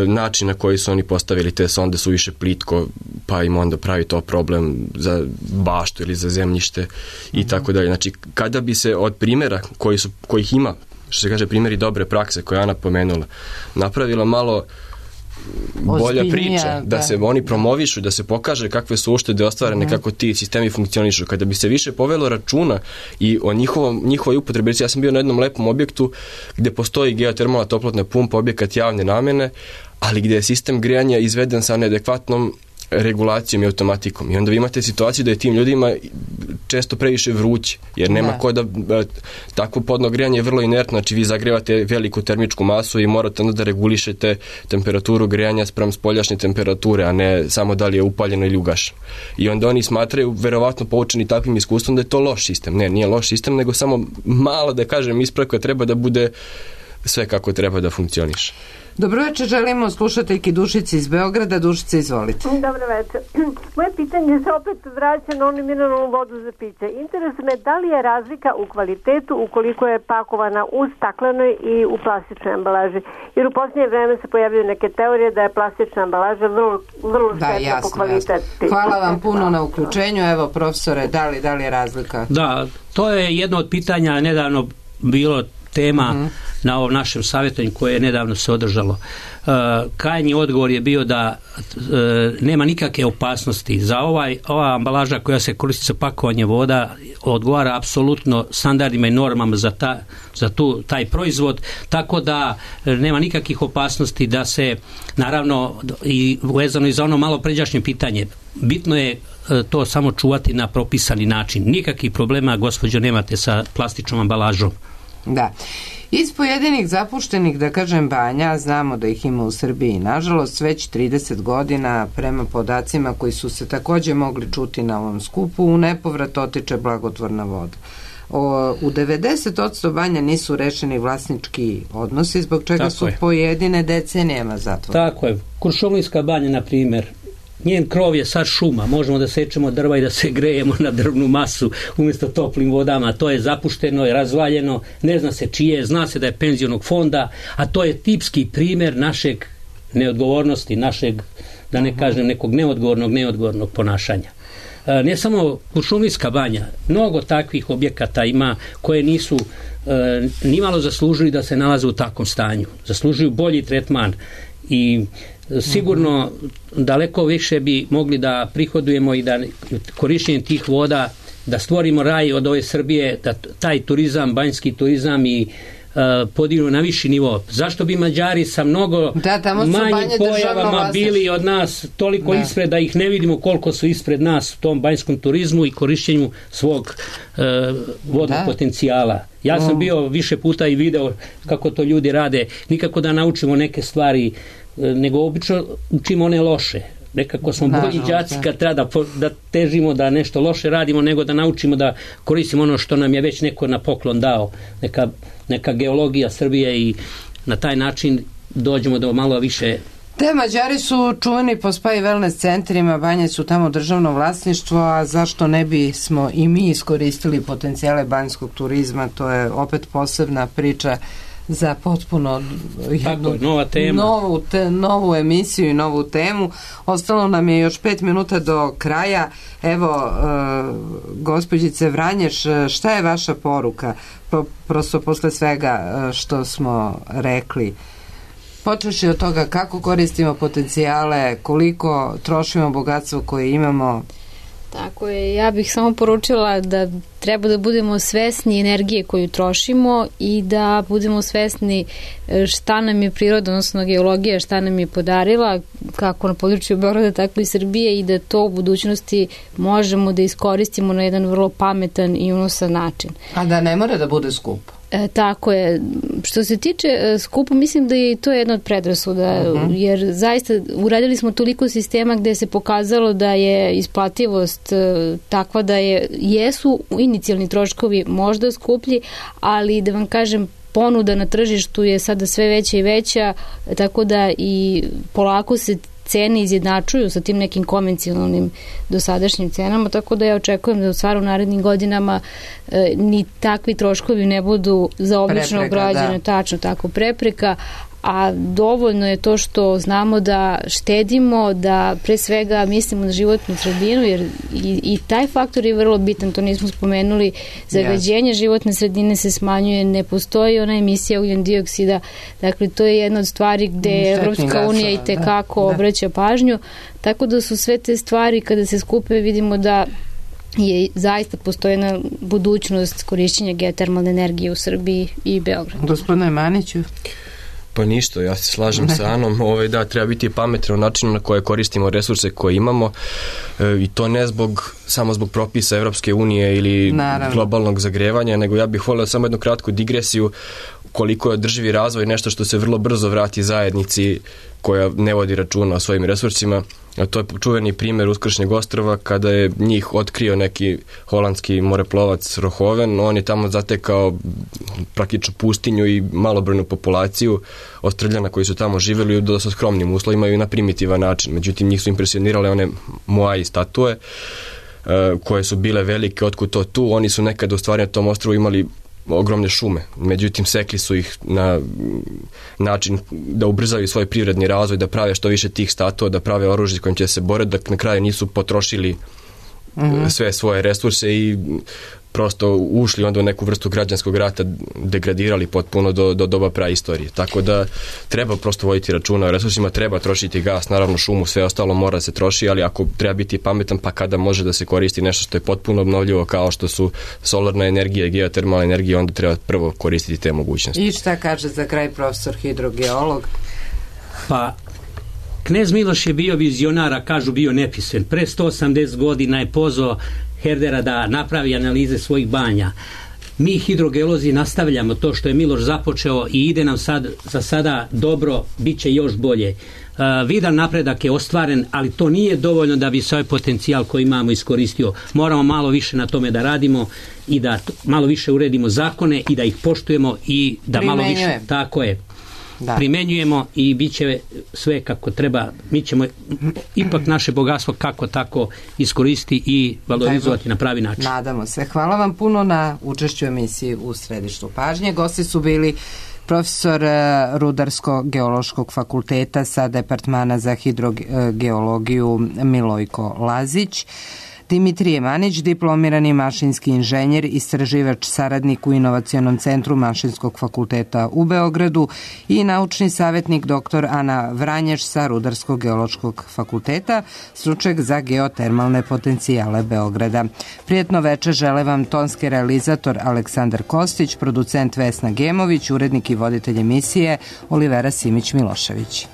način na koji su oni postavili te sonde su više plitko, pa im onda pravi to problem za baštu ili za zemljište i tako dalje. Znači kada bi se od primjera kojih ima, što se kaže primjeri dobre prakse koje je Ana pomenula, napravila malo bolja priča, da se oni promovišu, da se pokaže kakve su uštede ostvarene, kako ti sistemi funkcionišu. Kada bi se više povelo računa i o njihovoj upotrebi. Ja sam bio na jednom lepom objektu gdje postoji geotermalna toplotna pumpa, objekat javne namjene, ali gdje je sistem grejanja izveden sa neadekvatnom regulacijom i automatikom. I onda vi imate situaciju da je tim ljudima često previše vruće, jer nema ko da takvo podno grejanje je vrlo inertno, znači vi zagrevate veliku termičku masu i morate onda da regulišete temperaturu grejanja spram spoljašnje temperature, a ne samo da li je upaljeno ili ugašeno. I onda oni smatraju, verovatno poučeni takvim iskustvom, da je to loš sistem. Ne, nije loš sistem, nego samo malo, da kažem, ispravka treba da bude sve kako treba da funkcioniše. Dobro večer, želimo slušateljki Dušici iz Beograda. Dušice, izvolite. Dobro večer. Moje pitanje se opet vraća na onu mineralnu vodu za piće. Interesuje me da li je razlika u kvalitetu ukoliko je pakovana u staklenoj i u plastičnoj ambalaži. Jer u posljednje vreme se pojavljaju neke teorije da je plastična ambalaža vrlo štetna po kvalitetu. Hvala vam puno na uključenju. Evo, profesore, da li je razlika? Da, to je jedno od pitanja nedavno bilo tema na ovom našem savjetanju koje je nedavno se održalo. Krajnji odgovor je bio da nema nikakve opasnosti. Za ova ambalaža koja se koristi za pakovanje voda odgovara apsolutno standardima i normama za taj proizvod, tako da nema nikakvih opasnosti da se, naravno, i vezano i za ono malo pređašnje pitanje, bitno je to samo čuvati na propisani način. Nikakvih problema, gospođo, nemate sa plastičnom ambalažom. Da. Iz pojedinih zapuštenih, da kažem, banja, znamo da ih ima u Srbiji, nažalost, već 30 godina, prema podacima koji su se također mogli čuti na ovom skupu, u nepovrat otiče blagotvorna voda. U 90% banja nisu rešeni vlasnički odnosi, zbog čega su pojedine decenijama zatvorene. Tako je. Kuršumlijska banja, na primjer, njen krov je sad šuma, možemo da sečemo drva i da se grejemo na drvnu masu umjesto toplim vodama, to je zapušteno i razvaljeno, ne zna se čije, zna se da je penzionog fonda, a to je tipski primjer našeg neodgovornosti, našeg, da ne kažem, nekog neodgovornog ponašanja. Ne samo Kuršumlijska banja, mnogo takvih objekata ima koje nisu nimalo zaslužili da se nalaze u takvom stanju, zaslužuju bolji tretman i sigurno daleko više bi mogli da prihodujemo i da korištenjem tih voda da stvorimo raj od ove Srbije, da taj turizam, banjski turizam i podignu na viši nivo. Zašto bi Mađari sa mnogo manjim pojavama bili od nas toliko ispred, da ih ne vidimo koliko su ispred nas u tom banjskom turizmu i korištenju svog vodnog potencijala. Ja sam bio više puta i video kako to ljudi rade, nikako da naučimo neke stvari, nego obično učimo one loše. Nekako smo bolji đaci kad treba da težimo da nešto loše radimo, nego da naučimo da koristimo ono što nam je već neko na poklon dao, neka geologija Srbije, i na taj način dođemo do malo više. Te Mađari su čuveni po spa i wellness centrima, banje su tamo državno vlasništvo, a zašto ne bismo i mi iskoristili potencijale banjskog turizma? To je opet posebna priča za potpuno jednu novu emisiju i novu temu. Ostalo nam je još 5 minuta do kraja. Evo, gospođice Vranješ, šta je vaša poruka? Prosto posle svega što smo rekli. Počeši od toga kako koristimo potencijale, koliko trošimo bogatstvo koje imamo. Tako je, ja bih samo poručila da treba da budemo svesni energije koju trošimo i da budemo svesni šta nam je priroda, odnosno geologija, šta nam je podarila, kako na području Beograda, tako i Srbije, i da to u budućnosti možemo da iskoristimo na jedan vrlo pametan i unosan način. A da ne mora da bude skupo. Tako je. Što se tiče skupa, mislim da je to jedna od predrasuda, jer zaista uradili smo toliko sistema gde se pokazalo da je isplativost takva da jesu inicijalni troškovi možda skuplji, ali da vam kažem, ponuda na tržištu je sada sve veća i veća, tako da i polako se cene izjednačuju sa tim nekim konvencionalnim dosadašnjim cenama, tako da ja očekujem da u stvaru narednim godinama ni takvi troškovi ne budu za običnog građana tačno tako prepreka, a dovoljno je to što znamo da štedimo, da pre svega mislimo na životnu sredinu, jer i taj faktor je vrlo bitan, to nismo spomenuli, zagađenje životne sredine se smanjuje, ne postoji ona emisija ugljen dioksida, dakle to je jedna od stvari gde Evropska unija i tekako obraća pažnju, tako da su sve te stvari kada se skupe vidimo da je zaista postojena budućnost korišćenja geotermalne energije u Srbiji i Beogradu. Gospodine Maniću? Pa ništa, ja se slažem sa Anom, da, treba biti pametan u načinu na koje koristimo resurse koje imamo, i to ne samo zbog propisa Evropske unije ili globalnog zagrevanja, nego ja bih volio samo jednu kratku digresiju koliko je održivi razvoj nešto što se vrlo brzo vrati zajednici koja ne vodi računa o svojim resursima. A to je čuveni primjer Uskršnjeg ostrva kada je njih otkrio neki holandski moreplovac Rohoven. On je tamo zatekao praktično pustinju i malobrojnu populaciju Ostrvljana koji su tamo živjeli u dosta skromnim uslovima i na primitivan način. Međutim, njih su impresionirale one Moai statue koje su bile velike, otkud to tu. Oni su nekada u stvari na tom ostrvu imali ogromne šume, međutim sekli su ih na način da ubrzaju svoj privredni razvoj, da prave što više tih statua, da prave oružje s kojim će se boriti, da na kraju nisu potrošili sve svoje resurse i prosto ušli onda u neku vrstu građanskog rata, degradirali potpuno do doba praistorije. Tako da treba prosto voditi računa o resursima, treba trošiti gas, naravno šumu, sve ostalo mora da se troši, ali ako treba biti pametan, pa kada može da se koristi nešto što je potpuno obnovljivo kao što su solarna energija i geotermalna energija, onda treba prvo koristiti te mogućnosti. I šta kaže za kraj profesor hidrogeolog? Pa Knez Miloš je bio vizionar, a kažu bio nepismen. Pre 180 godina je pozvao Herdera da napravi analize svojih banja. Mi hidrogeolozi nastavljamo to što je Miloš započeo i ide nam za sada dobro, bit će još bolje. Vidan napredak je ostvaren, ali to nije dovoljno da bi se ovaj potencijal koji imamo iskoristio. Moramo malo više na tome da radimo i da malo više uredimo zakone i da ih poštujemo i da malo više, tako je, primenjujemo i bit će sve kako treba. Mi ćemo ipak naše bogatstvo kako tako iskoristiti i valorizovati na pravi način. Nadamo se. Hvala vam puno na učešću emisiji u središtu pažnje. Gosti su bili profesor Rudarsko-geološkog fakulteta sa Departmana za hidrogeologiju Milojko Lazić, Dimitrije Manić, diplomirani mašinski inženjer, istraživač, saradnik u Inovacionom centru Mašinskog fakulteta u Beogradu i naučni savjetnik dr. Ana Vranješ sa Rudarsko-geološkog fakulteta, stručnjak za geotermalne potencijale Beograda. Prijetno večer žele vam tonski realizator Aleksandar Kostić, producent Vesna Gemović, urednik i voditelj emisije Olivera Simić-Milošević.